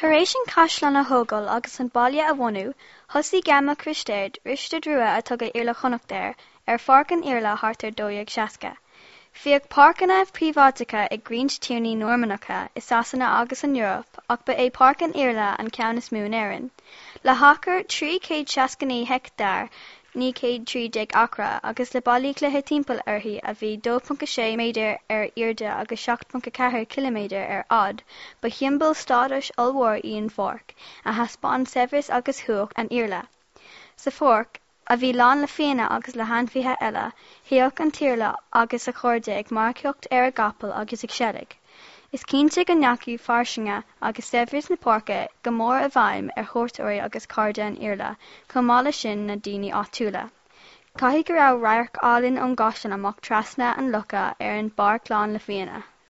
Tar éis an caisleán a thógáil agus an baile a bhunú, thosaigh Gabhal Mac Risteaird, Risteard Rua a tugadh Iarla Chonnacht air, ar Pháirc an Iarla thart ar 1260. Bhíodh páirceanna príobháideacha ag roinnt tiarnaí Normannacha i Sasana agus san Eoraip ach ba é Páirc an Iarla an ceann is mó in Éirinn. Le hachar 369 heicteár, 913 acra, agus le ballaí cloiche timpeall uirthi a bhí 2.6 méadar ar airde agus 7.4 ciliméadar ar fhad, ba shiombail stádais ollmhór í an pháirc, a thaispeáin saibhreas agus cumhacht an Iarla. Sa pháirc, a bhí lán le fianna agus le hainmhithe eile, théadh an tIarla agus a chairde ag marcaíocht ar a gcapaill agus ag seilg. Is cinnte go ndeachaigh fairsinge agus saibhreas na páirce go mór i bhfeidhm ar chuairteoirí agus cairde an Iarla, chomh maith leis sin na daoine áitiúla. Caithfidh go raibh radharc álainn ón gcaisleán amach trasna an locha ar an bpáirc lán le fianna.